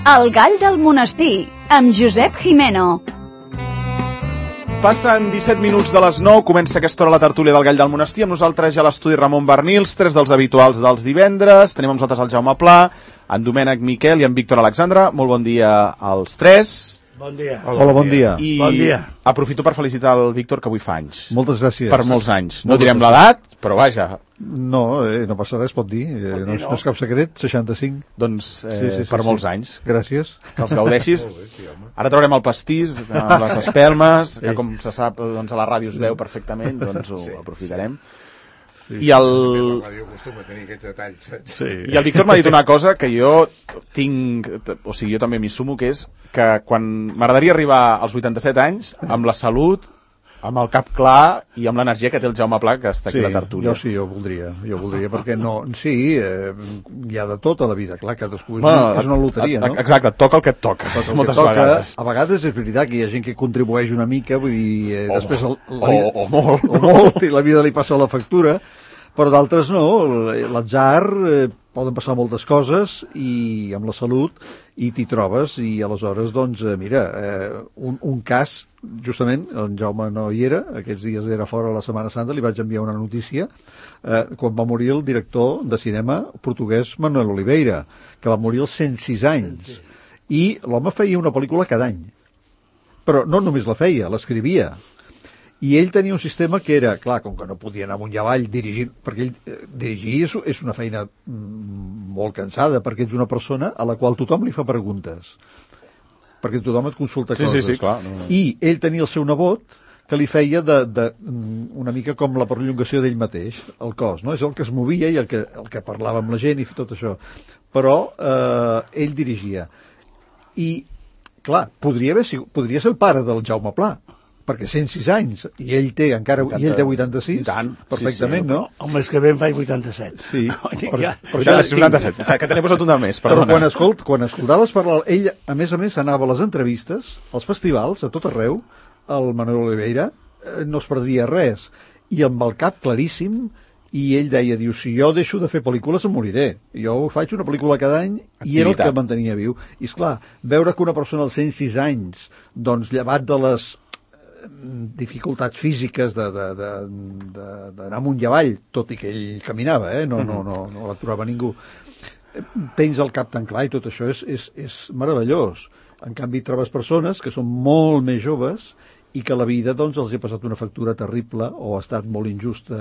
El gall del monestir, amb Josep Jimeno. Passen 17 minuts de les 9, comença aquesta hora la tertúlia del gall del monestir. Amb nosaltres ja a l'estudi Ramon Bernils, tres dels habituals dels divendres. Tenim amb nosaltres el Jaume Pla, en Domènec Miquel i en Víctor Alexandre. Molt bon dia als tres. Bon dia. Hola, bon dia. I bon dia. Aprofito per felicitar el Víctor, que avui fa anys. Moltes gràcies. Per molts anys. No direm l'edat, però vaja. No, no passa res, pot dir. No és cap secret, 65. Doncs per molts anys. Gràcies. Que els gaudeixis. Ara traurem el pastís amb les espelmes, que com se sap, doncs a la ràdio es veu perfectament, doncs ho aprofitarem. Sí, I el... La ràdio acostuma a tenir aquests detalls, saps? Sí. I el Víctor m'ha dit una cosa que jo tinc, o sigui, jo també m'hi sumo, que és que quan m'agradaria arribar als 87 anys, amb la salut, amb el cap clar i amb l'energia que té el Jaume Pla, que està aquí a la tertúlia. Jo voldria, perquè no... Sí, hi ha de tot a la vida, clar, cadascú és una loteria, no? Exacte, et toca el que et toca, moltes vegades. A vegades és veritat que hi ha gent que contribueix una mica, vull dir, després... O molt. O molt, i la vida li passa la factura, però d'altres no, l'atzar, poden passar moltes coses i amb la salut i t'hi trobes i aleshores, doncs, mira, un cas, justament, en Jaume no hi era, aquests dies era fora la Setmana Santa, li vaig enviar una notícia, quan va morir el director de cinema portuguès Manuel Oliveira, que va morir als 106 anys, i l'home feia una pel·lícula cada any, però no només la feia, l'escrivia. I ell tenia un sistema que era, clar, com que no podia anar amunt i avall dirigint, perquè ell dirigir és una feina molt cansada, perquè ets una persona a la qual tothom li fa preguntes, perquè tothom et consulta coses. Sí, clar. No. I ell tenia el seu nebot que li feia una mica com la perllongació d'ell mateix, el cos, no? És el que es movia i el que parlava amb la gent i tot això. Però ell dirigia. I, clar, podria ser el pare del Jaume Pla, perquè 106 anys, i ell té 86, tant, perfectament, sí, no? El mes que ve en faig 87. Sí, però ja és 87, que t'he posat un de més, perdona. Però quan escoltaves parlar, ell, a més, anava a les entrevistes, als festivals, a tot arreu, el Manuel Oliveira, no es perdia res, i amb el cap claríssim, i ell deia, si jo deixo de fer pel·lícules em moriré, jo faig una pel·lícula cada any, i era el que mantenia viu. I esclar, veure que una persona als 106 anys, doncs llevat de les dificultats físiques d'anar amunt i avall, tot i que ell caminava, no l'aturava ningú, tens el cap tan clar i tot això és meravellós. En canvi trobes persones que són molt més joves i que la vida doncs els ha passat una factura terrible o ha estat molt injusta.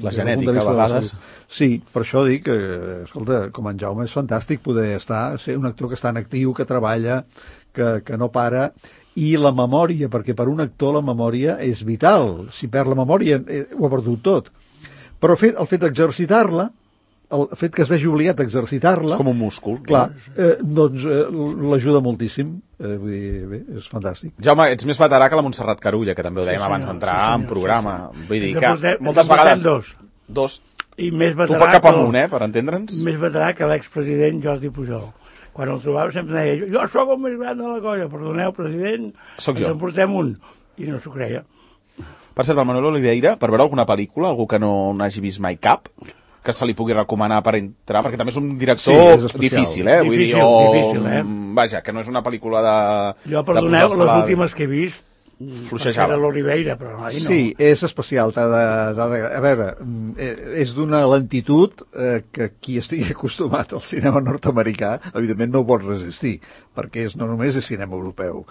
La genètica a vegades. Sí, per això dic que, escolta, com en Jaume és fantàstic poder ser un actor que està en actiu, que treballa, que no para. I la memòria, perquè per un actor la memòria és vital. Si perd la memòria ho ha perdut tot. Però el fet d'exercitar-la, el fet que es vegi obligat a exercitar-la... És com un múscul. Clar, doncs l'ajuda moltíssim. Vull dir, bé, és fantàstic. Jaume, ets més veterà que la Montserrat Carulla, que també ho dèiem abans d'entrar en programa. Vull dir que moltes vegades... Dos. I més veterà... Tu cap amunt, per entendre'ns? Més veterà que l'expresident Jordi Pujol. Quan el trobava sempre deia, jo sóc el més gran de la colla, perdoneu, president, soc jo. Ens en portem un. I no s'ho creia. Per cert, el Manuel Oliveira, per veure alguna pel·lícula, algú que no n'hagi vist mai cap, que se li pugui recomanar per entrar, perquè també és un director difícil, Vull dir, vaja, que no és una pel·lícula de... Jo, perdoneu, les últimes que he vist, fluixejava. Era l'Oliveira, però no. Sí, és especial. A veure, és d'una lentitud que qui estigui acostumat al cinema nord-americà, evidentment no ho pot resistir, perquè no només és cinema europeu,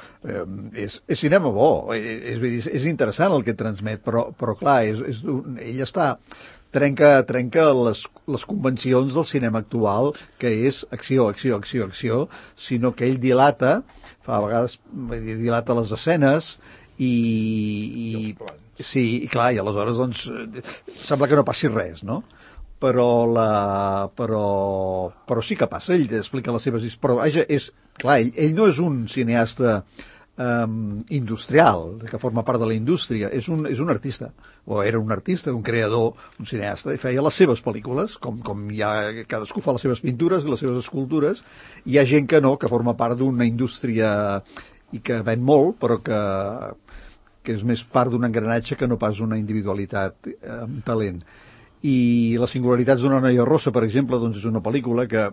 és cinema bo, és interessant el que transmet, però clar, ell trenca les convencions del cinema actual, que és acció, sinó que ell dilata les escenes i sí, i clar, i aleshores doncs sembla que no passi res, no? Però sí que passa, ell explica les seves... Però vaja, clar, ell no és un cineasta industrial, que forma part de la indústria, és un artista, o era un artista, un creador, un cineasta, i feia les seves pel·lícules, com cadascú fa les seves pintures i les seves escultures, i hi ha gent que no, que forma part d'una indústria i que ven molt, però que és més part d'un engranatge que no pas una individualitat amb talent. I Les singularitats d'una noia rossa, per exemple, doncs és una pel·lícula que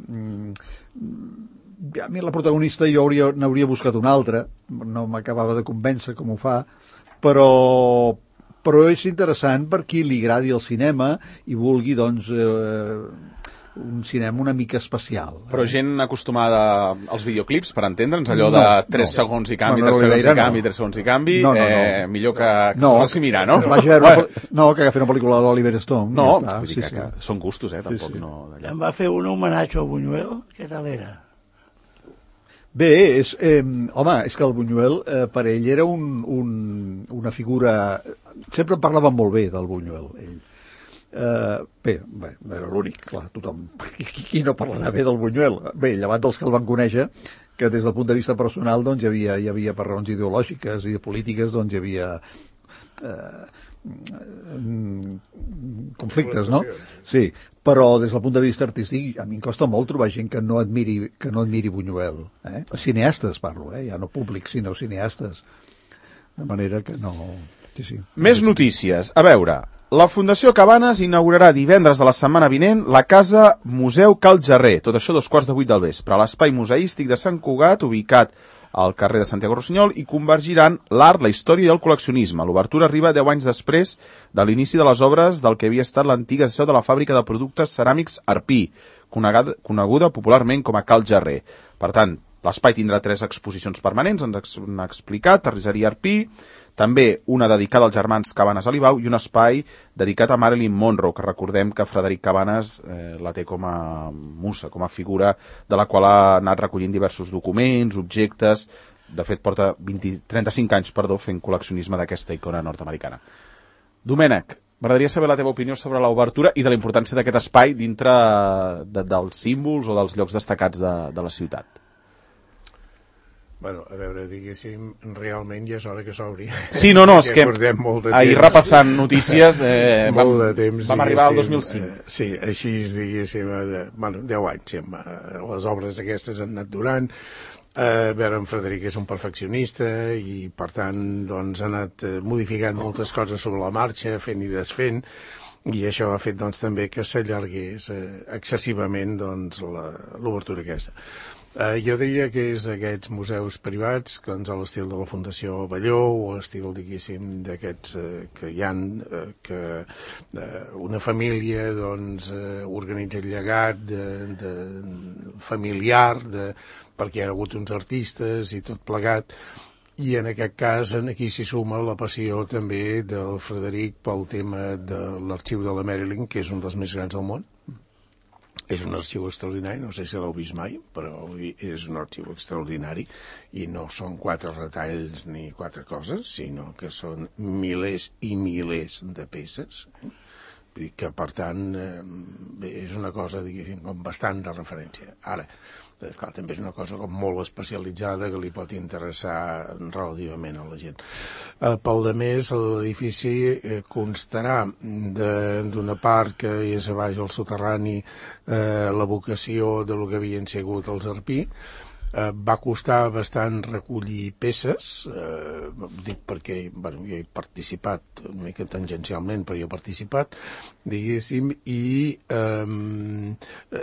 a mi la protagonista jo n'hauria buscat una altra, no m'acabava de convèncer com ho fa, però és interessant per qui li agradi el cinema i vulgui, doncs, un cinema una mica especial. Però gent acostumada als videoclips, per entendre'ns, allò de 3 segons i canvi, 3 segons i canvi, 3 segons i canvi, millor que s'ho faci mirar, no? Que agafi una pel·lícula de l'Oliver Stone. No, vull dir que són gustos, tampoc no... Em va fer un homenatge al Buñuel, què tal era? Bé, home, és que el Buñuel per ell era una figura... Sempre en parlaven molt bé del Buñuel, ell. Bé, no era l'únic, clar, tothom... Qui no parlarà bé del Buñuel? Bé, llevat dels que el van conèixer, que des del punt de vista personal doncs, hi havia per raons ideològiques i polítiques, doncs hi havia conflictes, no? Sí, però des del punt de vista artístic a mi em costa molt trobar gent que no admiri Buñuel. Cineastes parlo, ja no públic, sinó cineastes. De manera que no... Sí. Més notícies. A veure, la Fundació Cabanes inaugurarà divendres de la setmana vinent la Casa Museu Cal Jarrer, tot això 2:15 del vespre, a l'espai museístic de Sant Cugat, ubicat al carrer de Santiago Rossinyol, i convergiran l'art, la història i el col·leccionisme. L'obertura arriba 10 anys després de l'inici de les obres del que havia estat l'antiga seu de la fàbrica de productes ceràmics Arpí, coneguda popularment com a Cal Jarrer. Per tant, l'espai tindrà 3 exposicions permanents, ens han explicat, Terrisseria Arpí, també una dedicada als germans Cabanes Alibau i un espai dedicat a Marilyn Monroe, que recordem que Frederic Cabanes la té com a musa, com a figura de la qual ha anat recollint diversos documents, objectes. De fet, porta 35 anys fent col·leccionisme d'aquesta icona nord-americana. Domènec, m'agradaria saber la teva opinió sobre l'obertura i de la importància d'aquest espai dintre dels símbols o dels llocs destacats de la ciutat. Bueno, a veure, diguéssim, realment ja és hora que s'obri. Sí, no, és que ahir repassant notícies vam arribar al 2005. Sí, així, diguéssim, 10 anys, les obres aquestes han anat durant. A veure, en Frederic és un perfeccionista i, per tant, doncs, ha anat modificant moltes coses sobre la marxa, fent i desfent, i això ha fet, doncs, també que s'allargués excessivament, doncs, l'obertura aquesta. Jo diria que és aquests museus privats, doncs, a l'estil de la Fundació Balló, o a l'estil, diguéssim, d'aquests que hi ha, que una família, doncs, organitza el llegat familiar, perquè hi ha hagut uns artistes i tot plegat, i en aquest cas aquí s'hi suma la passió també del Frederic pel tema de l'arxiu de la Marilyn, que és un dels més grans del món. És un arxiu extraordinari, no sé si l'heu vist mai, però és un arxiu extraordinari i no són 4 retalls ni 4 coses, sinó que són milers i milers de peces. Vull dir que, per tant, és una cosa, diguéssim, com bastant de referència. Ara, clar, també és una cosa com molt especialitzada que li pot interessar relativament a la gent. Pel de més, l'edifici constarà d'una part que és a baix al soterrani l'evocació de lo que havien sigut els Arpí. Va costar bastant recollir peces, dic perquè jo he participat una mica tangencialment, però jo he participat, diguéssim, i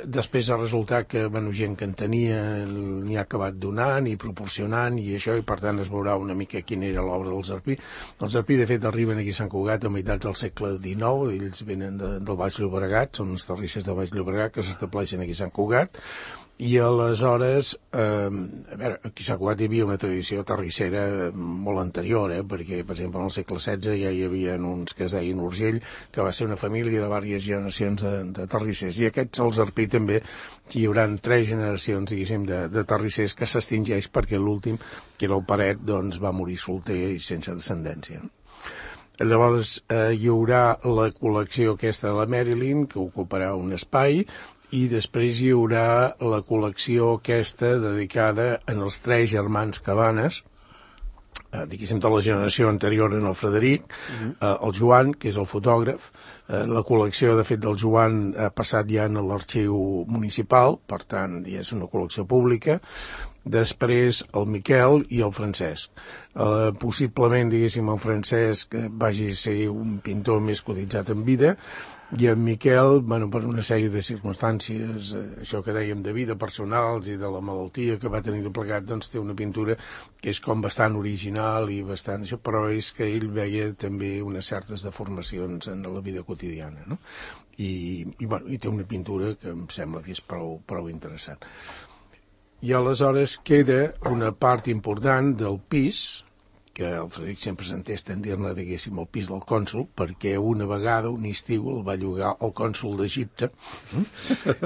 després ha resultat que gent que en tenia n'hi ha acabat donant i proporcionant i això, i per tant es veurà una mica quina era l'obra dels Arpí. Els Arpí, de fet, arriben aquí a Sant Cugat a meitats del segle XIX, ells venen del Baix Llobregat, són uns terrissers del Baix Llobregat que s'estableixen aquí a Sant Cugat. I aleshores, a veure, aquí a Sant Cugat hi havia una tradició terrissera molt anterior, perquè, per exemple, en el segle XVI ja hi havia uns que es deien Urgell, que va ser una família de diverses generacions de terrissers, i aquests, els Arpí, també hi haurà 3 generacions, diguéssim, de terrissers que s'extingeix perquè l'últim, que era el Paret, doncs va morir solter i sense descendència. Llavors hi haurà la col·lecció aquesta de la Marilyn, que ocuparà un espai, i després hi haurà la col·lecció aquesta dedicada als 3 germans Cabanes, diguéssim, de la generació anterior en el Frederic, el Joan, que és el fotògraf. La col·lecció, de fet, del Joan ha passat ja en l'arxiu municipal, per tant, ja és una col·lecció pública. Després el Miquel i el Francesc. Possiblement, diguéssim, el Francesc vagi a ser un pintor més cotitzat en vida, I en Miquel, bueno, per una sèrie de circumstàncies, això que dèiem de vida personals i de la malaltia que va tenir de plegat, doncs té una pintura que és com bastant original i bastant això, però és que ell veia també unes certes deformacions en la vida quotidiana, no? I té una pintura que em sembla que és prou interessant. I aleshores queda una part important del pis, que el Frederic sempre s'entesta en dir-ne, diguéssim, el pis del cònsol, perquè una vegada, un estiu, el va llogar el cònsol d'Egipte,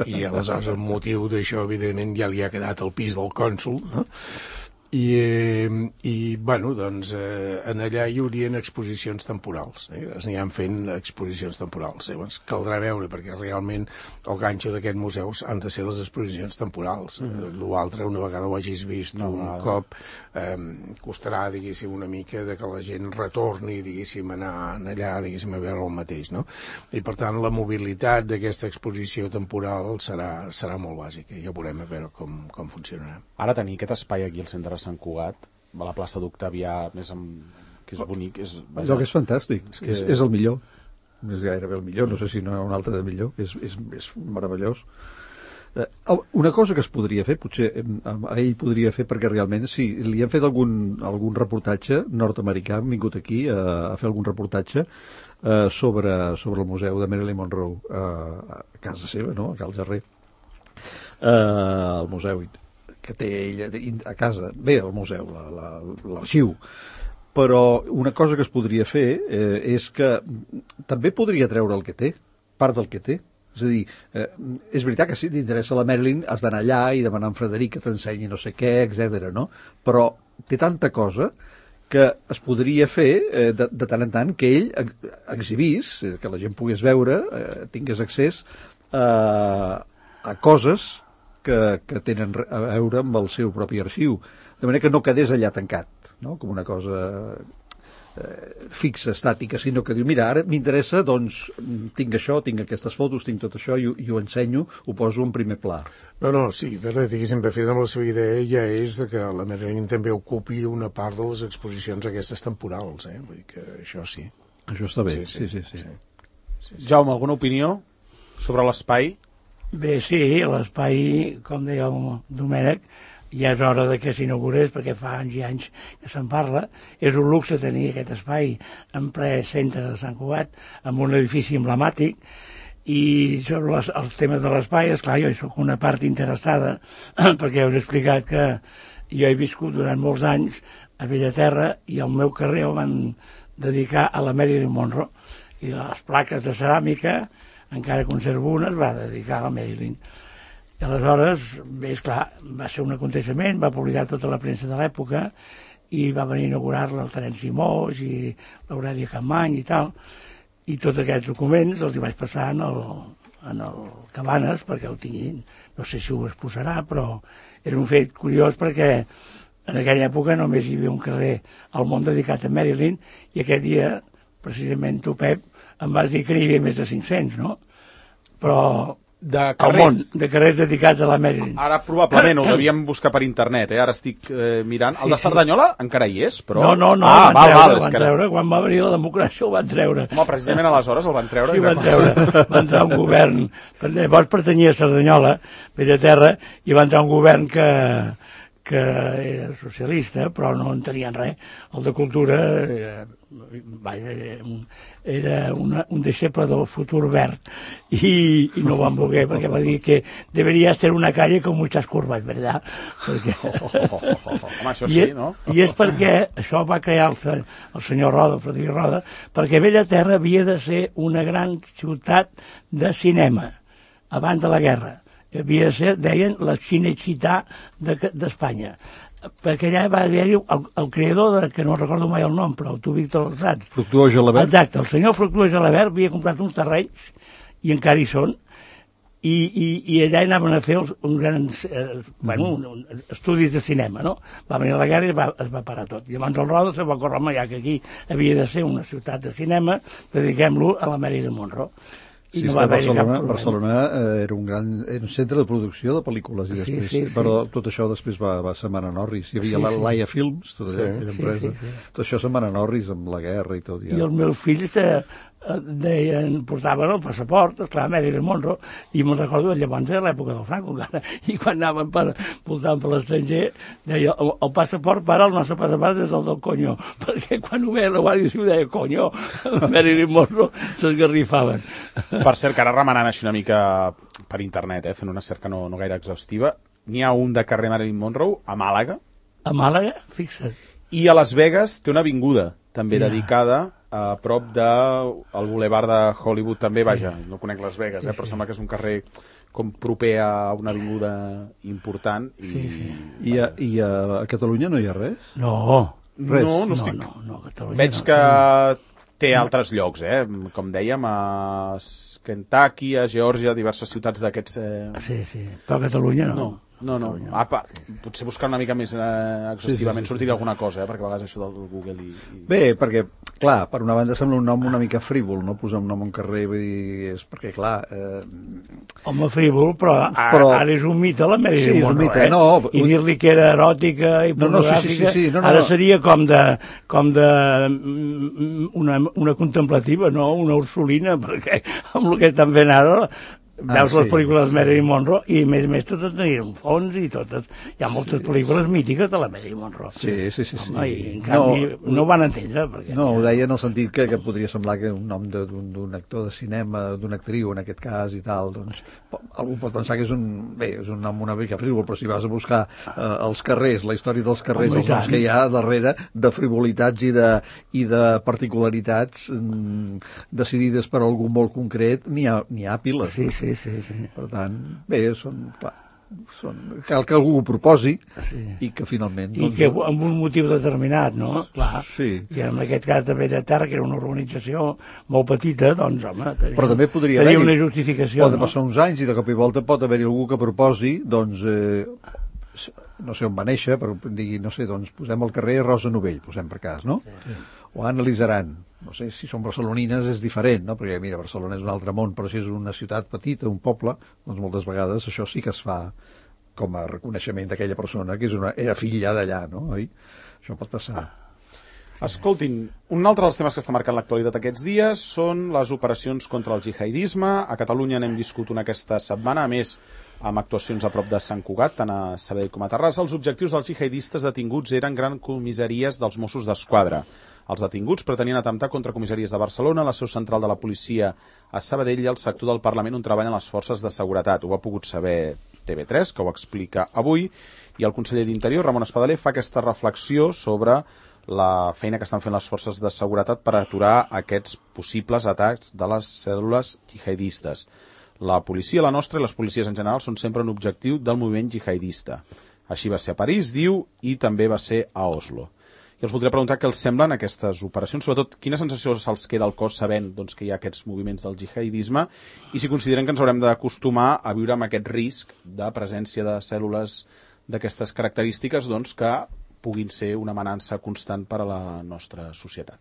i aleshores el motiu d'això, evidentment, ja li ha quedat el pis del cònsol, no? I bueno, doncs, en allà hi haurien exposicions temporals, es aniran fent exposicions temporals. Llavors caldrà veure, perquè realment el ganxo d'aquest museu han de ser les exposicions temporals. L'altre, una vegada ho hagis vist un cop, costarà, diguéssim, una mica de que la gent retorni, diguéssim, anar allà, diguéssim, a veure el mateix, no? I per tant la mobilitat d'aquesta exposició temporal serà molt bàsica, i ja veurem a veure com funcionarà. Ara tenir aquest espai aquí al centre de Sant Cugat, a la plaça d'Octavià, que és bonic, allò que és fantàstic, és el millor, és gairebé el millor, no sé si no hi ha un altre de millor, és meravellós. Una cosa que es podria fer, potser ell podria fer, perquè realment sí, li han fet algun reportatge nord-americà, han vingut aquí a fer algun reportatge sobre el museu de Marilyn Monroe a casa seva, no? A Cal Jarrer, el museu que té ella a casa, bé, el museu, l'arxiu. Però una cosa que es podria fer és que també podria treure el que té, part del que té. És a dir, és veritat que si t'interessa la Marilyn has d'anar allà i demanar a en Frederic que t'ensenyi no sé què, etc. no? Però té tanta cosa que es podria fer de tant en tant que ell exhibís, que la gent pogués veure, tingués accés a coses que tenen a veure amb el seu propi arxiu, de manera que no quedés allà tancat, no? Com una cosa fixa, estàtica, sinó que diu, mira, ara m'interessa, doncs tinc això, tinc aquestes fotos, tinc tot això, i ho ensenyo, ho poso en primer pla. No, sí, però diguéssim, de fet, amb la seva idea ja és que la Marilyn també ocupi una part de les exposicions aquestes temporals, vull dir que això sí. Això està bé, sí. Jaume, alguna opinió sobre l'espai? Bé, sí, l'espai, com deia el Domènec, ja és hora de que s'inaugurés, perquè fa anys i anys que se'n parla. És un luxe tenir aquest espai en ple centre de Sant Cugat, amb un edifici emblemàtic, i sobre els temes de l'espai, esclar, jo hi soc una part interessada, perquè us he explicat que jo he viscut durant molts anys a Bellaterra, i el meu carrer el van dedicar a la Marilyn Monroe, i les plaques de ceràmica, encara conservo una, es va dedicar a la Marilyn. I aleshores, bé, esclar, va ser un aconteixement, va publicar tota la premsa de l'època, i va venir a inaugurar-la el Terenci Moix i l'Aurèlia Capmany i tal, i tots aquests documents els hi vaig passar en el Cabanes, perquè ho tinguin, no sé si ho exposarà, però és un fet curiós perquè en aquella època només hi havia un carrer al món dedicat a Marilyn, i aquest dia, precisament tu, Pep, em vas dir que n'hi havia més de 500, no? Però de carrers, al món, de carrers dedicats a la Marilyn. Ara probablement ho devíem buscar per internet, ara estic mirant. El de Cerdanyola encara hi és, però... No, van treure, quan va venir la democràcia ho van treure. Home, precisament aleshores el van treure. Sí, van treure, va entrar un govern, llavors pertanyia a Cerdanyola, Bellaterra, i va entrar un govern que era socialista, però no en tenien res. El de Cultura era un deixeble del futur verd, i no van voler, perquè va dir que deberia ser una calle con muchas curvas, ¿verdad? Perquè... Home, això sí, no? I és perquè això va crear el senyor Roda, el Frederic Roda, perquè Bellaterra havia de ser una gran ciutat de cinema abans de la guerra. Havia de ser, deien, la Cinecittà d'Espanya. Perquè allà va haver-hi el creador, que no recordo mai el nom, però tu, Víctor, el saps. Fructuós Gelabert. Exacte, el senyor Fructuós Gelabert havia comprat uns terrenys, i encara hi són, i allà anaven a fer uns grans estudis de cinema, no? Va venir la guerra i es va parar tot. I llavors el Roda se va córrer ja que aquí havia de ser una ciutat de cinema, dediquem-lo a la Marilyn Monroe. Sí, no Barcelona era un centre de producció de pel·lícules, i després, sí. Però tot això després va se'n van a Norris. Hi havia la Laia Films, tota aquella empresa. Tot això se'n van a Norris amb la guerra i tot. Ja. I els meus fills portaven el passaport, esclar, Marilyn Monroe, i me'n recordo llavors era l'època del Franco encara, i quan anaven voltant per l'estranger, deia, el passaport, para, el nostre passaport és el del conyo, perquè quan ho veia la Guàrdia Civil deia, conyo, Marilyn Monroe, s'esgarrifaven. Per cert, que ara remenant així una mica per internet, fent una cerca no gaire exhaustiva, n'hi ha un de carrer Marilyn Monroe a Màlaga. A Màlaga, fixa't. I a Las Vegas té una avinguda també dedicada a prop del bulevard de Hollywood també, vaja, no conec Las Vegas, però sembla que és un carrer com proper a una avinguda important. I a Catalunya no hi ha res? No. Res. No estic... No, Veig que té altres llocs, com dèiem, a Kentucky, a Geòrgia, diverses ciutats d'aquests... Sí, però a Catalunya no. No. Potser buscar una mica més exhaustivament sortiria alguna cosa, perquè a vegades això del Google Bé, perquè, clar, per una banda sembla un nom una mica frívol, no? Posar un nom a un carrer, vull dir, és perquè, clar... Home, frívol, però ara és un mite la Marilyn Monroe, mite, no. I dir-li que era eròtica i pornogràfica, ara seria com de una contemplativa, no? Una ursulina, perquè amb el que estan fent ara... Veus les pel·lícules de Marilyn Monroe i, a més, totes tenien un fons i totes... Hi ha moltes pel·lícules mítiques de la Marilyn Monroe. Sí. Home, i en canvi no ho van entendre. Perquè... No, ho deia en el sentit que podria semblar que un nom d'un actor de cinema, d'una actriu, en aquest cas, i tal, doncs... Algú pot pensar que és un nom una mica frívol, però si vas a buscar els carrers, la història dels carrers, els noms que hi ha darrere de frivolitats i de particularitats decidides per algú molt concret, n'hi ha piles. Sí. Per tant, bé, cal que algú ho proposi i que finalment... I que amb un motiu determinat, no? Clar. Sí. I en aquest cas de Bellaterra, que era una organització molt petita, doncs, home, però també podria haver una justificació. Pot passar uns anys i de cop i volta pot haver-hi algú que proposi, doncs, no sé on va néixer, però digui, no sé, doncs posem al carrer Rosa Novell, posem per cas, no? Sí. O analitzaran. No sé, si són barcelonines és diferent, no? Perquè, mira, Barcelona és un altre món, però si és una ciutat petita, un poble, doncs moltes vegades això sí que es fa com a reconeixement d'aquella persona que era filla d'allà, no? Oi? Això pot passar. Escoltin, un altre dels temes que està marcant l'actualitat aquests dies són les operacions contra el jihadisme. A Catalunya n'hem viscut una aquesta setmana, a més, amb actuacions a prop de Sant Cugat, tant a Sabadell com a Terrassa. Els objectius dels jihadistes detinguts eren grans comissaries dels Mossos d'Esquadra. Els detinguts pretenien atemptar contra comissaries de Barcelona, la seu central de la policia a Sabadell i el sector del Parlament on treballen les forces de seguretat. Ho ha pogut saber TV3, que ho explica avui, i el conseller d'Interior, Ramon Espadaler, fa aquesta reflexió sobre la feina que estan fent les forces de seguretat per aturar aquests possibles atacs de les cèl·lules jihadistes. La policia, la nostra, i les policies en general són sempre un objectiu del moviment jihadista. Així va ser a París, diu, i també va ser a Oslo. I els voldria preguntar què els semblen aquestes operacions, sobretot quina sensació se'ls queda al cos sabent que hi ha aquests moviments del jihadisme i si consideren que ens haurem d'acostumar a viure amb aquest risc de presència de cèl·lules d'aquestes característiques que puguin ser una amenaça constant per a la nostra societat.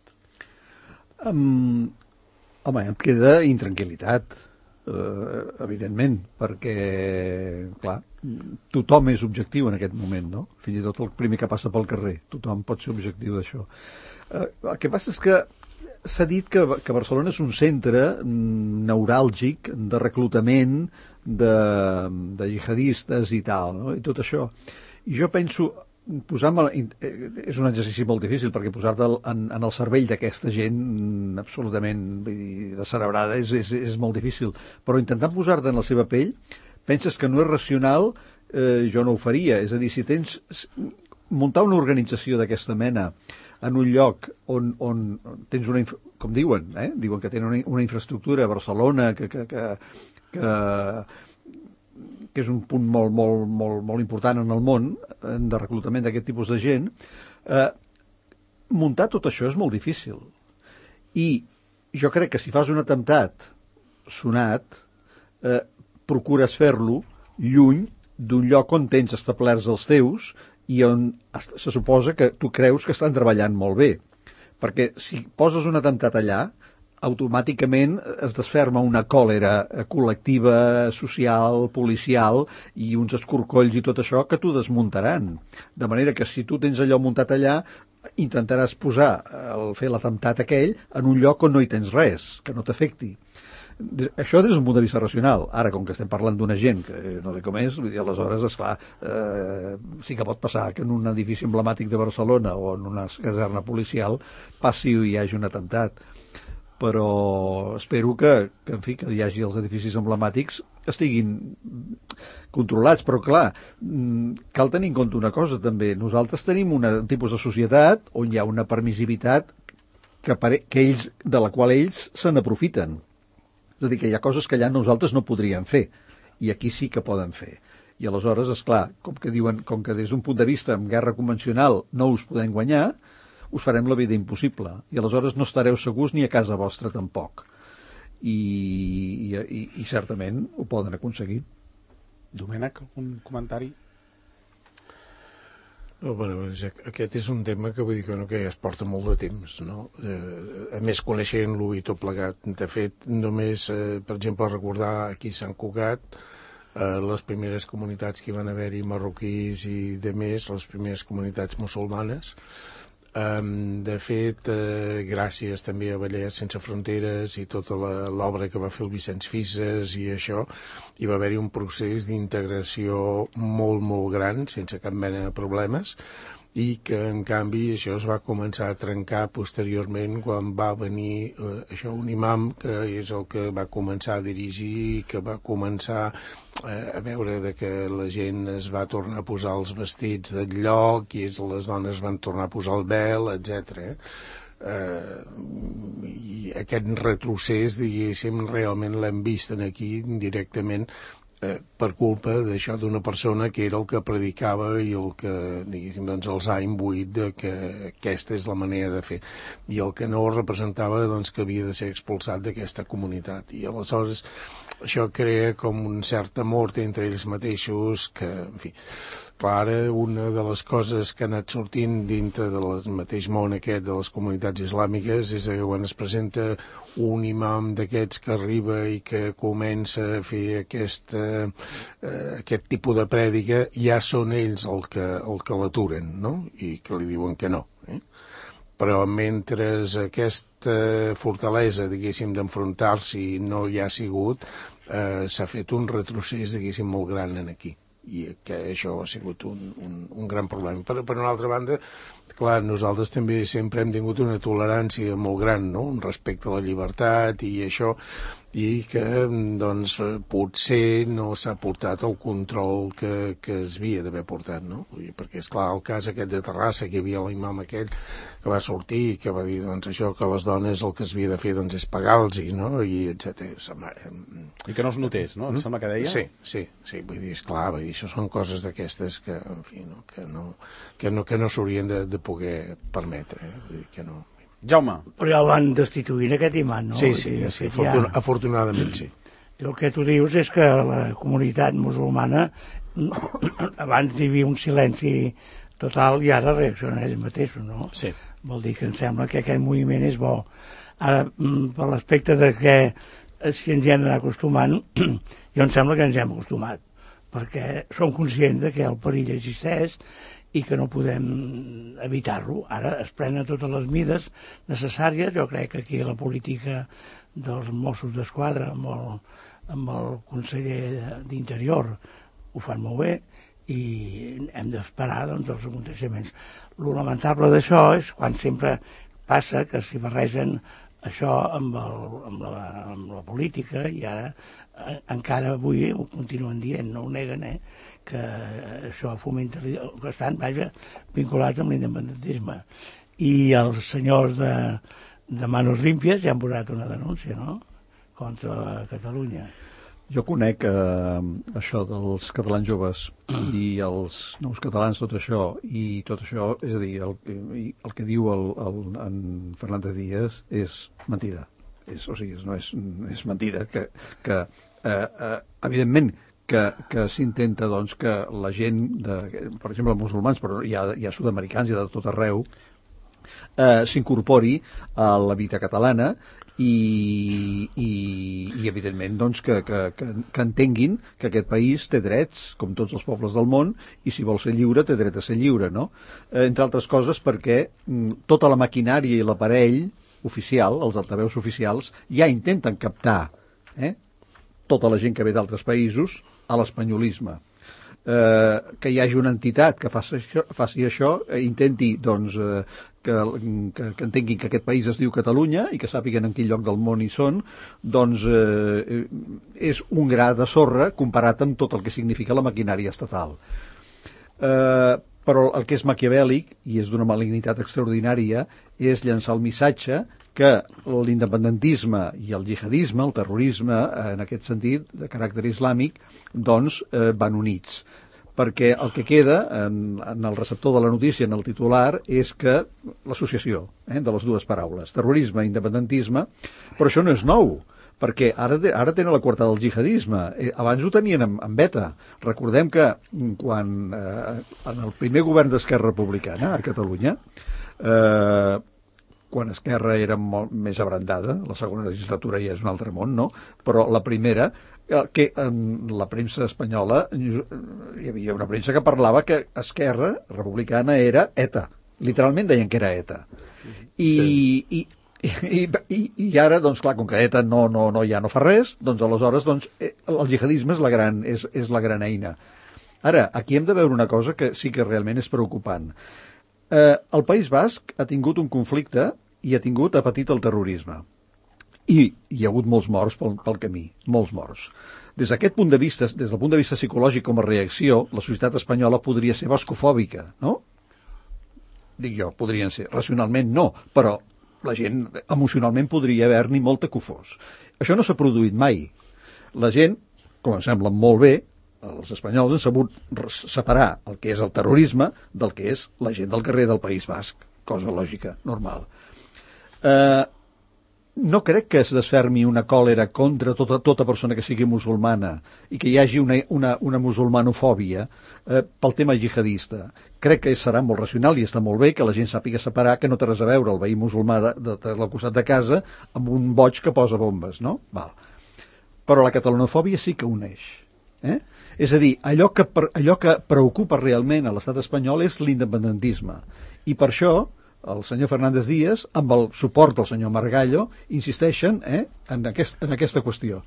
Home, em queda intranquil·litat, evidentment, perquè, clar, tothom és objectiu en aquest moment, no? Fins i tot el primer que passa pel carrer, tothom pot ser objectiu d'això. El que passa és que s'ha dit que Barcelona és un centre neuràlgic de reclutament de jihadistes i tal, no? I tot això. I jo penso... és un exercici molt difícil perquè posar-te en el cervell d'aquesta gent absolutament descerebrada és molt difícil, però intentant posar-te en la seva pell penses que no és racional, jo no ho faria, és a dir, si tens muntar una organització d'aquesta mena en un lloc on tens una, com diuen, diuen que tenen una infraestructura a Barcelona que és un punt molt important en el món de reclutament d'aquest tipus de gent, muntar tot això és molt difícil. I jo crec que si fas un atemptat sonat, procures fer-lo lluny d'un lloc on tens establerts els teus i on se suposa que tu creus que estan treballant molt bé. Perquè si poses un atemptat allà, automàticament es desferma una còlera col·lectiva, social, policial i uns escorcolls i tot això que t'ho desmuntaran. De manera que si tu tens allò muntat allà, intentaràs posar, fer l'atemptat aquell, en un lloc on no hi tens res, que no t'afecti. Això des d'un punt de vista racional. Ara, com que estem parlant d'una gent que no sé com és, vull dir, aleshores, esclar, sí que pot passar que en un edifici emblemàtic de Barcelona o en una caserna policial passi o hi hagi un atemptat. Però espero que en fi, que hi hagi els edificis emblemàtics estiguin controlats, però clar, cal tenir en compte una cosa també. Nosaltres tenim un tipus de societat on hi ha una permissivitat de la qual ells se n'aprofiten. És a dir, que hi ha coses que allà nosaltres no podríem fer, i aquí sí que poden fer. I aleshores, esclar, com que des d'un punt de vista en guerra convencional no us podem guanyar, us farem la vida impossible. I aleshores no estareu segurs ni a casa vostra tampoc. I certament ho poden aconseguir. Domènec, algun comentari? No, bueno, aquest és un tema que vull dir que ja es porta molt de temps, no? A més, coneixent-lo i tot plegat. De fet, només, per exemple, recordar aquí a Sant Cugat, les primeres comunitats que hi van haver-hi marroquís i de més, les primeres comunitats musulmanes. De fet, gràcies també a Ballets Sense Fronteres i tota l'obra que va fer el Vicenç Fisas i això, hi va haver-hi un procés d'integració molt, molt gran, sense cap mena de problemes, i que, en canvi, això es va començar a trencar posteriorment quan va venir un imam, que és el que va començar a dirigir, que va començar a veure de que la gent es va tornar a posar els vestits del lloc i les dones van tornar a posar el vel, etc. I aquest retrocés, diguéssim, realment l'hem vist aquí directament per culpa d'això, d'una persona que era el que predicava i el que, diguéssim, doncs els ha imbuït de que aquesta és la manera de fer, i el que no representava, doncs, que havia de ser expulsat d'aquesta comunitat. I aleshores això crea com un cert amor entre ells mateixos que, en fi, clar, una de les coses que ha anat sortint dintre del mateix món aquest de les comunitats islàmiques és que quan es presenta un imam d'aquests que arriba i que comença a fer aquest tipus de prèdica, ja són ells el que l'aturen, no? I que li diuen que no. Però mentre aquesta fortalesa, diguéssim, d'enfrontar-s'hi no hi ha sigut, s'ha fet un retrocés, diguéssim, molt gran aquí. I que això ha sigut un gran problema. Per una altra banda, clar, nosaltres també sempre hem tingut una tolerància molt gran, no?, respecte a la llibertat i això, i que, doncs, potser no s'ha portat el control que es havia d'haver portat, no? Perquè, esclar, el cas aquest de Terrassa, que hi havia l'imam aquell que va sortir i que va dir, doncs, això, que les dones el que es havia de fer, doncs, és pagar-los, no?, i etc. I que no es notés, no? Em sembla que deia? Sí, vull dir, esclar, això són coses d'aquestes que, en fi, no, que no s'haurien de poder permetre, vull dir que no... Jaume. Però ja el van destituir aquest imant, no? Sí, afortunadament sí. El que tu dius és que la comunitat musulmana abans hi havia un silenci total i ara reacciona ells mateixos, no? Sí. Vol dir que em sembla que aquest moviment és bo. Ara, per l'aspecte de que si ens hi hem d'anar acostumant, jo em sembla que ens hem acostumat, perquè som conscients de que el perill existeix i que no podem evitar-lo. Ara es prenen totes les mides necessàries. Jo crec que aquí la política dels Mossos d'Esquadra amb el conseller d'Interior ho fan molt bé i hem d'esperar, doncs, els aconteixements. Lo lamentable d'això és quan sempre passa que s'hi barregen això amb la política, i ara encara avui ho continuen dient, no ho neguen, que això fomenta, que estan, vinculats amb l'independentisme. I els senyors de Manos Limpias ja han posat una denúncia, no?, contra Catalunya. Jo conec això dels catalans joves i els nous catalans, tot això, és a dir, el que diu en Fernández Díaz és mentida. És mentida que evidentment que s'intenta, doncs, que la gent, per exemple, musulmans, però hi ha sud-americans i de tot arreu, s'incorpori a la vida catalana i evidentment doncs, que entenguin que aquest país té drets, com tots els pobles del món, i si vol ser lliure té dret a ser lliure, no? Entre altres coses perquè tota la maquinària i l'aparell oficial, els altaveus oficials, ja intenten captar tota la gent que ve d'altres països a l'espanyolisme. Que hi hagi una entitat que faci això, intenti doncs, que entenguin que aquest país es diu Catalunya i que sàpiguen en quin lloc del món hi són, doncs és un gra de sorra comparat amb tot el que significa la maquinària estatal. Però el que és maquiavèlic, i és d'una malignitat extraordinària, és llançar el missatge que l'independentisme i el jihadisme, el terrorisme, en aquest sentit, de caràcter islàmic, doncs van units. Perquè el que queda en el receptor de la notícia, en el titular, és que l'associació de les dues paraules, terrorisme i independentisme, però això no és nou, perquè ara tenen la coartada del jihadisme. Abans ho tenien en beta. Recordem que quan en el primer govern d'Esquerra Republicana a Catalunya, quan Esquerra era molt més abrandada, la segona legislatura ja és un altre món, no? Però la primera, que en la premsa espanyola hi havia una premsa que parlava que Esquerra Republicana era ETA. Literalment deien que era ETA. I ara, doncs clar, com que ETA ja no fa res, doncs aleshores doncs, el jihadisme és la gran eina. Ara, aquí hem de veure una cosa que sí que realment és preocupant. El País Basc ha tingut un conflicte i ha patit el terrorisme. I hi ha hagut molts morts pel camí, molts morts. Des d'aquest punt de vista, des del punt de vista psicològic com a reacció, la societat espanyola podria ser bascofòbica, no? Dic jo, podrien ser. Racionalment no, però la gent emocionalment podria haver-n'hi molta que ho fos. Això no s'ha produït mai. La gent, com em sembla molt bé, els espanyols han sabut separar el que és el terrorisme del que és la gent del carrer del País Basc, cosa lògica, normal. No crec que es desfermi una còlera contra tota persona que sigui musulmana i que hi hagi una musulmanofòbia pel tema jihadista. Crec que serà molt racional i està molt bé que la gent sàpiga separar que no té res a veure el veí musulmà del costat de casa amb un boig que posa bombes, no? Val. Però la catalanofòbia sí que uneix. És a dir, allò que preocupa realment a l'estat espanyol és l'independentisme. I per això el senyor Fernández Díaz, amb el suport del senyor Margallo, insisteixen en aquesta qüestió.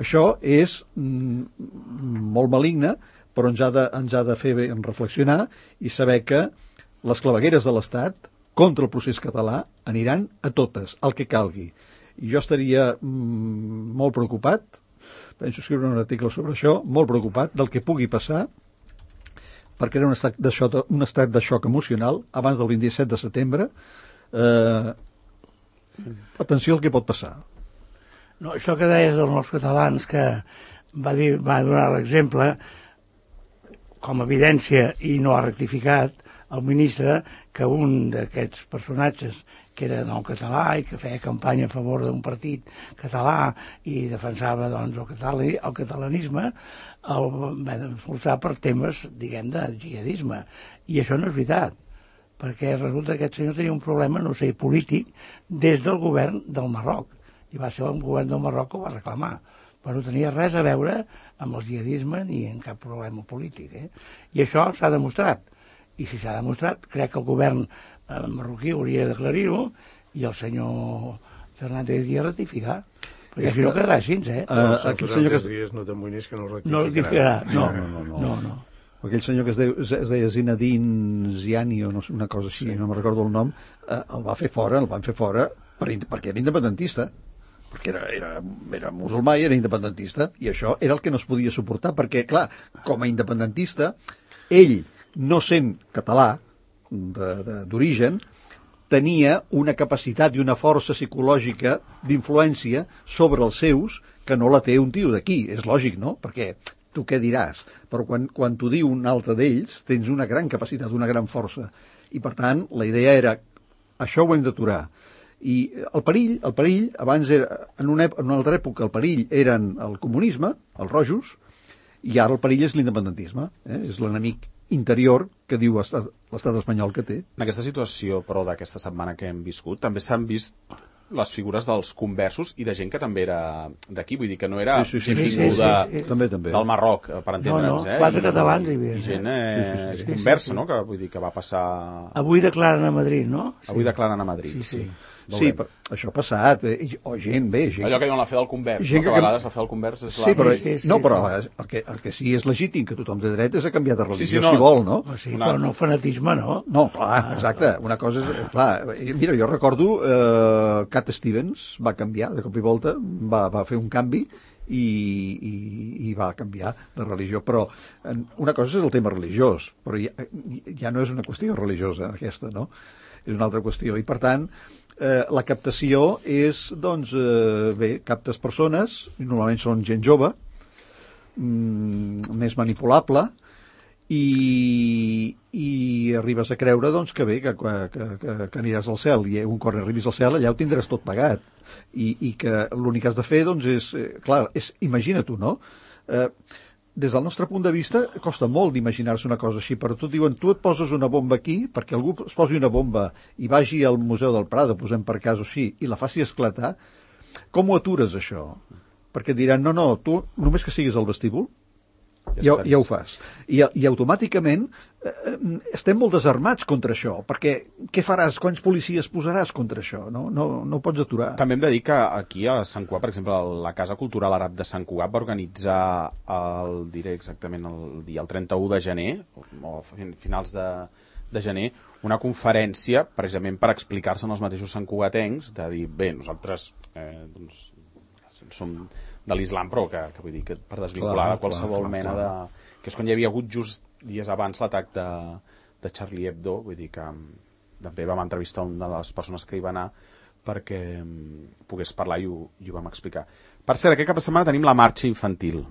Això és molt maligne, però ens ha de fer reflexionar i saber que les clavegueres de l'Estat contra el procés català aniran a totes, el que calgui. I jo estaria molt preocupat, penso escriure un article sobre això, molt preocupat del que pugui passar per crear un estat de xoc emocional abans del 27 de setembre. Atenció al que pot passar. No, això que deies dels nous catalans, que va donar l'exemple com a evidència i no ha rectificat el ministre que un d'aquests personatges que era nou català i que feia campanya a favor d'un partit català i defensava doncs, el catalanisme, el van expulsar per temes, diguem, de jihadisme. I això no és veritat, perquè resulta que aquest senyor tenia un problema, no sé, polític, des del govern del Marroc. I va ser el govern del Marroc que ho va reclamar. Però no tenia res a veure amb el jihadisme ni amb cap problema polític. I això s'ha demostrat. I si s'ha demostrat, crec que el govern marroquí hauria d'aclarir-ho i el senyor Fernández Díaz ratificar. Perquè si no quedarà així, Aquell senyor que Díaz no t'amoïnis que no rectificarà. No. Aquell senyor que es deia Zinedine Ziani o una cosa així, no me'n recordo el nom, el van fer fora perquè era independentista. Perquè era musulmà i era independentista, i això era el que no es podia suportar, perquè, clar, com a independentista, ell, no sent català d'origen, tenia una capacitat i una força psicològica d'influència sobre els seus que no la té un tio d'aquí. És lògic, no? Perquè tu què diràs? Però quan t'ho diu un altre d'ells, tens una gran capacitat, una gran força. I, per tant, la idea era això ho hem d'aturar. I el perill, abans era, en una altra època, el perill eren el comunisme, els rojos, i ara el perill és l'independentisme. És l'enemic interior que diu l'estat espanyol que té. En aquesta situació, però, d'aquesta setmana que hem viscut, també s'han vist les figures dels conversos i de gent que també era d'aquí, vull dir que no era gent vinguda També. del Marroc, per entendre'ns, No, 4 catalans hi havia. I gent conversa, no?, que vull dir que va passar... Avui declaren a Madrid, no? Avui declaren a Madrid, Sí. Sí, però això ha passat, o gent, gent... Allò que diuen la fe del convers, gent que a vegades la fe del convers és la... Sí, però, Sí. però el que sí és legítim, que tothom de dret, és a canviar de religió, no. si vol, no? Sí, però no fanatisme, no? No, clar, exacte. Una cosa és... Clar, mira, jo recordo Cat Stevens va canviar, de cop i volta, va fer un canvi i va canviar de religió. Però una cosa és el tema religiós, però ja no és una qüestió religiosa, aquesta, no? És una altra qüestió. I, per tant, la captació és, doncs, captes persones, normalment són gent jove, més manipulable, i arribes a creure, doncs, que bé, que aniràs al cel, i un cop arribis al cel, allà ho tindràs tot pagat, i que l'únic que has de fer, doncs, és, clar, imagina-t'ho, no? Des del nostre punt de vista, costa molt d'imaginar-se una cosa així, però tu diuen, tu et poses una bomba aquí, perquè algú es posi una bomba i vagi al Museu del Prado, posem per cas o així, i la faci esclatar, com ho atures, això? Perquè et diran, no, tu només que siguis al vestíbul, ja ho fas. I automàticament estem molt desarmats contra això, perquè què faràs? Quants policies posaràs contra això? No ho pots aturar. També hem de dir que aquí a Sant Cugat, per exemple, la Casa Cultural Àrab de Sant Cugat va organitzar diré exactament el 31 de gener, o finals de gener, una conferència precisament per explicar-se en els mateixos santcugatencs, de dir, bé, nosaltres doncs, som de l'islam, però que vull dir que per desvincular de qualsevol mena de... Que és quan hi havia hagut just dies abans l'atac de Charlie Hebdo, vull dir que també vam entrevistar una de les persones que hi va anar perquè pogués parlar i ho vam explicar. Per cert, aquest cap de setmana tenim la marxa infantil,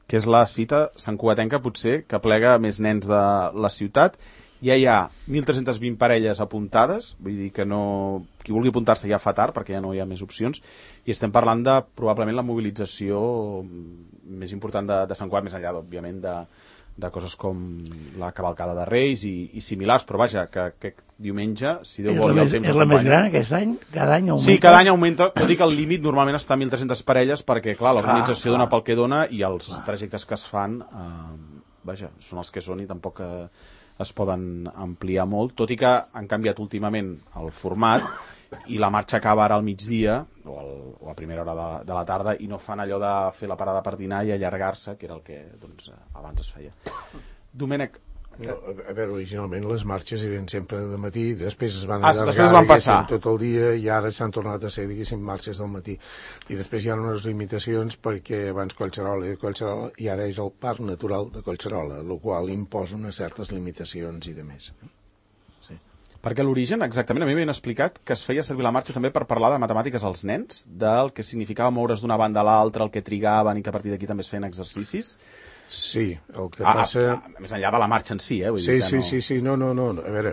que és la cita santcugatenca potser que plega més nens de la ciutat. Ja hi ha 1.320 parelles apuntades, vull dir que no... Qui vulgui apuntar-se ja fa tard, perquè ja no hi ha més opcions, i estem parlant de, probablement, la mobilització més important de Sant Cugat, més enllà, òbviament, de coses com la cavalcada de Reis i similars, però vaja, que aquest diumenge, si Déu vol, el temps és la més gran aquest any? Cada any augmenta? Sí, cada any augmenta, tot i que el límit normalment està a 1.300 parelles, perquè, clar, l'organització dona pel que dona i els trajectes que es fan, vaja, són els que són i tampoc es poden ampliar molt, tot i que han canviat últimament el format i la marxa acaba ara al migdia o a primera hora de la tarda i no fan allò de fer la parada per dinar i allargar-se, que era el que doncs, abans es feia. Domènec, no, a veure, originalment les marxes eren sempre de matí, després es van allargar tot el dia i ara s'han tornat a ser, diguéssim, marxes del matí. I després hi ha unes limitacions perquè abans Collserola i ara és el Parc Natural de Collserola, el qual imposa unes certes limitacions i de més. Sí. Perquè l'origen, exactament, a mi m'havien explicat que es feia servir la marxa també per parlar de matemàtiques als nens, del que significava moure's d'una banda a l'altra, el que trigaven i que a partir d'aquí també es feien exercicis. Sí, el que passa... Més enllà de la marxa en si, vull dir que no... Sí, no. A veure,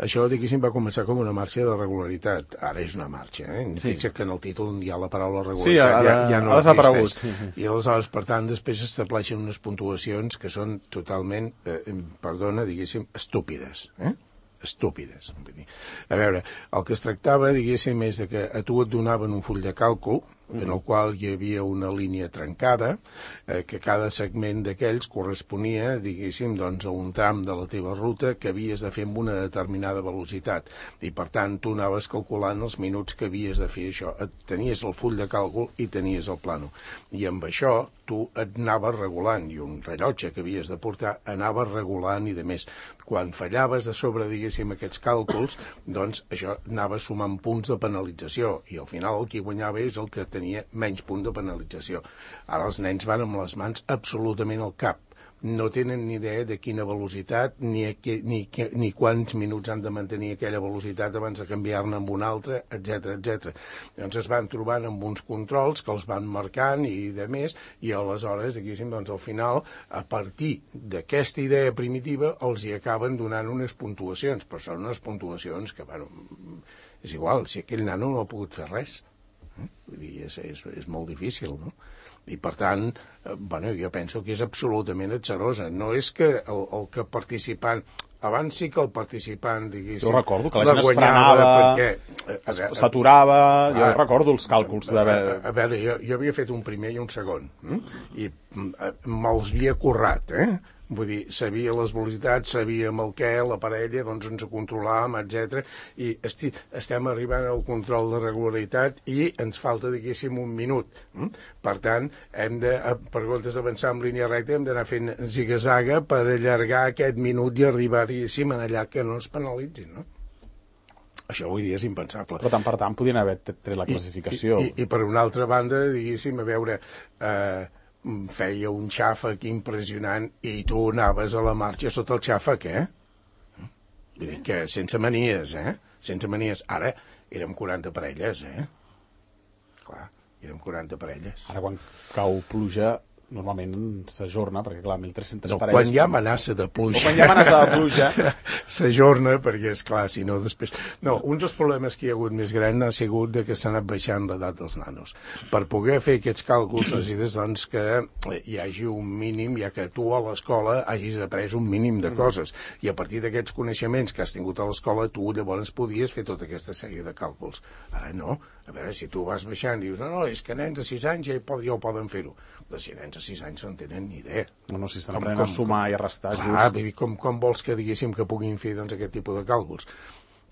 això, diguéssim, va començar com una marxa de regularitat. Ara és una marxa, Sí. Fixa't que en el títol hi ha la paraula regularitat. Sí, ja no ha desaparegut. existeix. Sí. I aleshores, per tant, després s'estableixen unes puntuacions que són totalment, diguéssim, estúpides, estúpides. Vull dir. A veure, el que es tractava, diguéssim, és de que a tu et donaven un full de càlcul en el qual hi havia una línia trencada, que cada segment d'aquells corresponia, diguéssim, doncs, a un tram de la teva ruta que havies de fer amb una determinada velocitat. I, per tant, tu anaves calculant els minuts que havies de fer això. Tenies el full de càlcul i tenies el plano. I amb això tu et anaves regulant, i un rellotge que havies de portar anaves regulant i de més. Quan fallaves de sobre, diguéssim, aquests càlculs, doncs això anava sumant punts de penalització, i al final el qui guanyava és el que tenia menys punt de penalització. Ara els nens van amb les mans absolutament al cap. No tenen ni idea de quina velocitat ni quants minuts han de mantenir aquella velocitat abans de canviar-ne amb una altra, etc. Llavors es van trobant amb uns controls que els van marcant i de més, i aleshores, diguéssim, doncs al final, a partir d'aquesta idea primitiva, els hi acaben donant unes puntuacions, però són unes puntuacions que, bueno, és igual, si aquell nano no ha pogut fer res. Vull dir, és molt difícil, no? I, per tant, jo penso que és absolutament atzarosa. No és que el que participant abans sí que el participant, diguéssim... Jo recordo que la gent es frenava, s'aturava, jo recordo els càlculs d'haver... A veure, jo havia fet un primer i un segon, i me'ls havia currat, Vull dir, sabia les velocitats, sabíem el què, la parella, doncs ens ho controlàvem, etc. I estem arribant al control de regularitat i ens falta, diguéssim, un minut. Per tant, hem de, per comptes d'avançar en línia recta, hem d'anar fent ziga-zaga per allargar aquest minut i arribar, diguéssim, en allà que no ens penalitzin, no? Això avui dia és impensable. Però tant per tant podien haver tret la classificació. I per una altra banda, diguéssim, a veure... feia un xàfec impressionant i tu anaves a la marxa sota el xàfec, Vull dir que sense manies, Sense manies. Ara érem 40 parelles, Clar, érem 40 parelles. Ara quan cau pluja normalment s'ajorna, perquè clar, 1.300 parelles... Quan hi ha amenaça de pluja... Quan hi ha amenaça de pluja... S'ajorna, perquè és clar, si no després... No, un dels problemes que hi ha hagut més gran ha sigut de que s'ha anat baixant l'edat dels nanos. Per poder fer aquests càlculs necessites, doncs, que hi hagi un mínim, ja que tu a l'escola hagis après un mínim de coses, i a partir d'aquests coneixements que has tingut a l'escola, tu llavors podies fer tota aquesta sèrie de càlculs. Ara no. A veure, si tu vas baixant i dius, no, és que nens de 6 anys ja ho poden fer-ho. De 6 nens de 6 anys no en tenen ni idea. No, si estan aprenent a sumar i a restar, just. Vull dir, com vols que diguéssim que puguin fer doncs, aquest tipus de càlculs?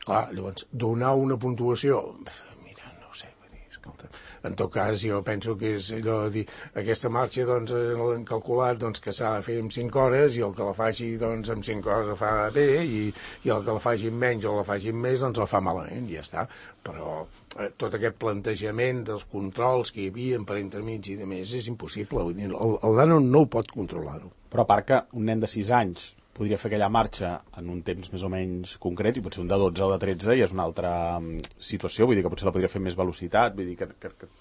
Clar, llavors, donar una puntuació... Mira, no ho sé, vull dir, escolta... En tot cas, jo penso que és allò de dir, aquesta marxa, doncs, l'hem calculat doncs, que s'ha de fer en 5 hores i el que la faci, doncs, en 5 hores la fa bé i el que la faci menys o la faci més, doncs, la fa malament, i ja està. Però tot aquest plantejament dels controls que hi havia per entremig i de més és impossible. Vull dir, el nano no ho pot controlar-ho. Però a part que un nen de 6 anys podria fer aquella marxa en un temps més o menys concret, i potser un de 12 o de 13 ja és una altra situació, vull dir que potser la podria fer més velocitat, vull dir que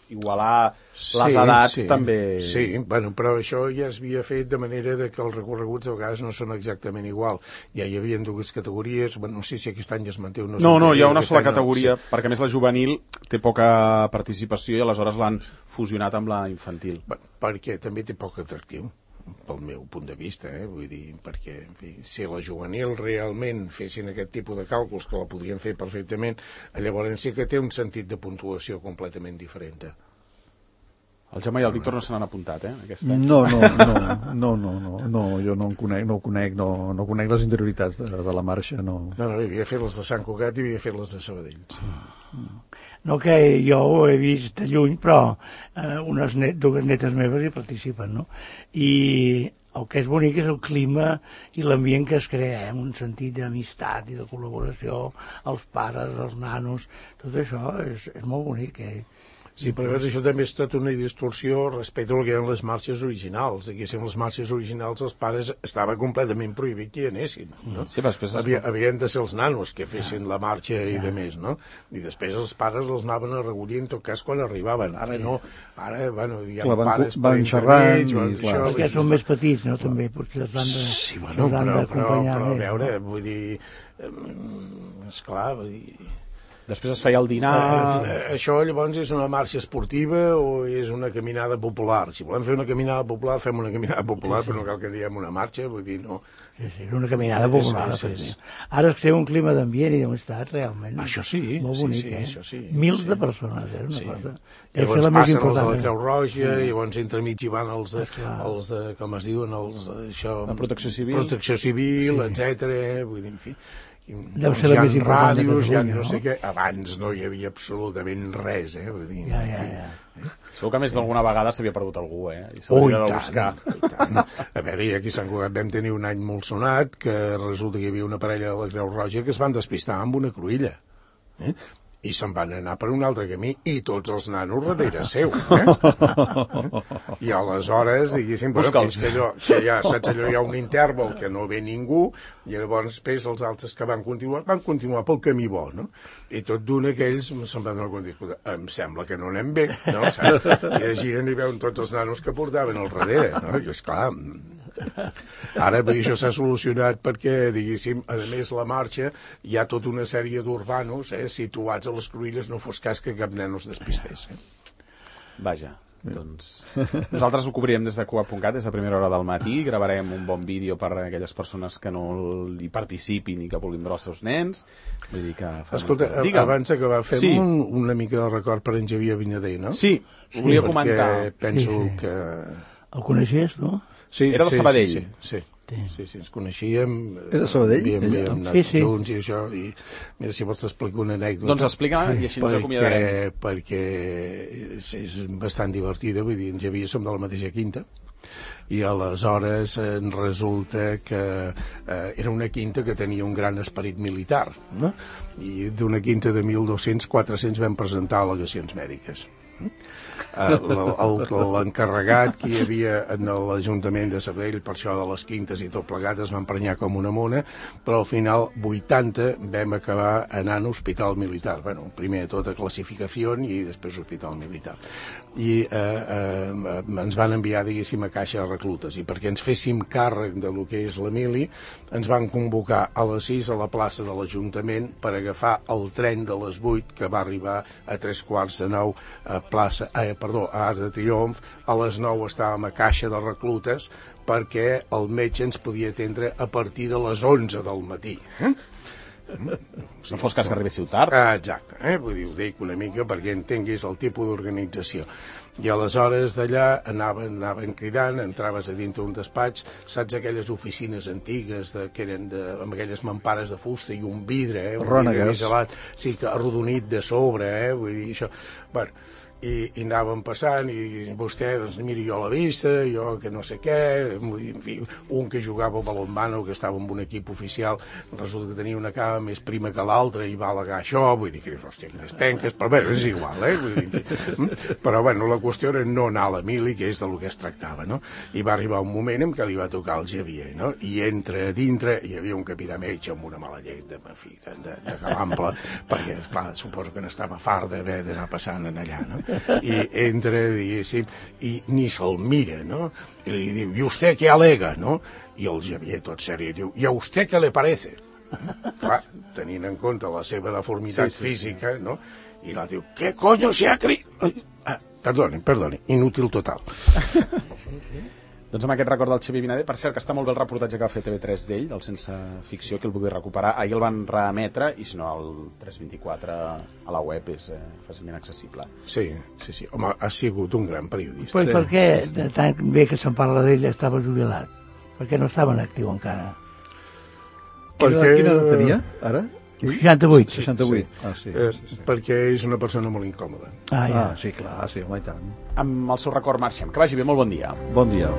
igualar les edats també... Sí, bueno, però això ja es havia fet de manera que els recorreguts de vegades no són exactament igual. Ja hi havia dues categories, bueno, no sé si aquest any es manté o no. No, hi ha una sola categoria, sí. Perquè a més la juvenil té poca participació i aleshores l'han fusionat amb la infantil. Bueno, perquè també té poc atractiu, pel meu punt de vista, vull dir, perquè en fi, si la juvenil realment fessin aquest tipus de càlculs, que la podrien fer perfectament, llavors sí que té un sentit de puntuació completament diferent. El Gemma i el Víctor no se n'han apuntat, aquest any? No, jo no ho conec, no conec les interioritats de la marxa, no. No, havia fet les de Sant Cugat i havia fet les de Sabadell. No, que jo ho he vist de lluny, però dues netes meves hi participen, no? I el que és bonic és el clima i l'ambient que es crea, un sentit d'amistat i de col·laboració, els pares, els nanos, tot això és molt bonic, Sí, però això també és tota una distorsió respecte al que eren les marxes originals. Diguéssim, les marxes originals els pares estava completament prohibit que hi anessin. No? Sí, després... Havien de ser els nanos que fessin la marxa i de més, no? I després els pares els anaven a recollir en tot cas quan arribaven. Ara no. Ara, bueno, hi ha pares per intermig... Perquè són més petits, no? També potser els han de... Sí, bueno, però a veure, vull dir... Esclar, vull dir... Després es feia el dinar... Això llavors és una marxa esportiva o és una caminada popular? Si volem fer una caminada popular, fem una caminada popular, però no cal que diguem una marxa, vull dir, no... Sí, és una caminada popular. Ara es crea un clima d'ambient i d'amistat realment. Això sí. Molt bonic, això sí. Mils de persones, una cosa. Llavors passen els de la Creu Roja, i llavors entremig hi van els de, com es diuen, la Protecció Civil. Protecció Civil, etcètera, vull dir, en fi... Deu ser la més important de Catalunya, no sé què. Abans no hi havia absolutament res, vull dir... Segur que més d'alguna vegada s'havia perdut algú, i s'hauria de buscar. A veure, aquí a Sant Cugat vam tenir un any molt sonat, que resulta que hi havia una parella de la Creu Roja que es van despistar amb una cruïlla, i se'n van anar per un altre camí, i tots els nanos darrere seu, I aleshores, diguéssim, que ja, saps, allò hi ha un interval que no ve ningú, i llavors després els altres que van continuar pel camí bo, no? I tot d'un aquells se'n van anar a dir, em sembla que no anem bé, no? I es giren i veuen tots els nanos que portaven al darrere, no? I esclar... Ara, això s'ha solucionat perquè, diguéssim, a més la marxa hi ha tota una sèrie d'urbanos situats a les cruïlles, no fos cas que cap nen es despistés. Vaja, Doncs nosaltres ho cobrirem des de Cuba.cat, des de primera hora del matí, gravarem un bon vídeo per a aquelles persones que no hi participin i que vulguin veure els seus nens. Vull dir que... Escolta, abans d'acabar, fem una mica de record per en Xavier Vinyader, no? Sí, ho volia comentar. Perquè penso que... El coneixies, no? Sí, era de Sabadell. Sí, ens coneixíem. Era de Sabadell? Havíem anat junts i això, i mira, si vols t'explico una anècdota. Doncs explica-la i així ens acomiadarem. Perquè és bastant divertida, vull dir, en Xavier som de la mateixa quinta, i aleshores resulta que era una quinta que tenia un gran esperit militar, no? I d'una quinta de 1.200, 400 vam presentar al·legacions mèdiques. L'encarregat que hi havia en l'Ajuntament de Sabadell per això de les quintes i tot plegat es va emprenyar com una mona, però al final 80 vam acabar anant a hospital militar. Bueno, primer de tot a classificació i després hospital militar. I ens van enviar, diguéssim, a caixa de reclutes, i perquè ens féssim càrrec de lo que és la mili ens van convocar a les 6 a la plaça de l'Ajuntament per agafar el tren de les 8 que va arribar a 8:45 a Arc de Triomf. A les 9 estàvem a caixa de reclutes perquè el metge ens podia atendre a partir de les 11 del matí. No fos cas que arribéssiu tard. Exacte, vull dir, ho dic una mica perquè entenguis el tipus d'organització. I aleshores d'allà anaven cridant, entraves a dintre un despatx, saps aquelles oficines antigues que eren amb aquelles mampares de fusta i un vidre, un vidre biselat, sí, que arrodonit de sobre, vull dir, això... Bueno, i anàvem passant i vostè, doncs miri, jo a la vista, jo que no sé què, en fi, un que jugava al balonmano, que estava en un equip oficial, resulta que tenia una cama més prima que l'altra i va al·legar això, vull dir que dius, hòstia, quines penques, però bé, és igual, vull dir, però bueno, la qüestió era no anar a la mili, que és del que es tractava, no? I va arribar un moment en què li va tocar el Xavier, no? I entra a dintre, hi havia un capità metge amb una mala llet de calample, perquè, esclar, suposo que n'estava fart d'haver d'anar passant en allà, no? I entra, diguéssim, i ni se'l mira, no? I li diu, ¿y usted qué alega, no? I el Xavier, tot seri, diu, ¿y a usted qué le parece? Clar, tenint en compte la seva deformitat física, no? I la diu, ¿qué coño se ha creído? Perdoni, inútil total. Doncs amb aquest record del Xavier Vinyader, per cert, que està molt bé el reportatge que va fer TV3 d'ell, del Sense Ficció, que el vulgui recuperar. Ahir el van reemetre, i si no, el 324 a la web és fàcilment accessible. Sí. Home, ha sigut un gran periodista. Pues per què, de tant bé que se'n parla d'ell, estava jubilat? Per què no estava en actiu encara? Quina edat tenia, ara? 68. 68. Sí. Perquè és una persona molt incòmoda. Sí, clar, sí, home, i tant. Amb el seu record marxem. Que vagi bé, molt bon dia. Bon dia.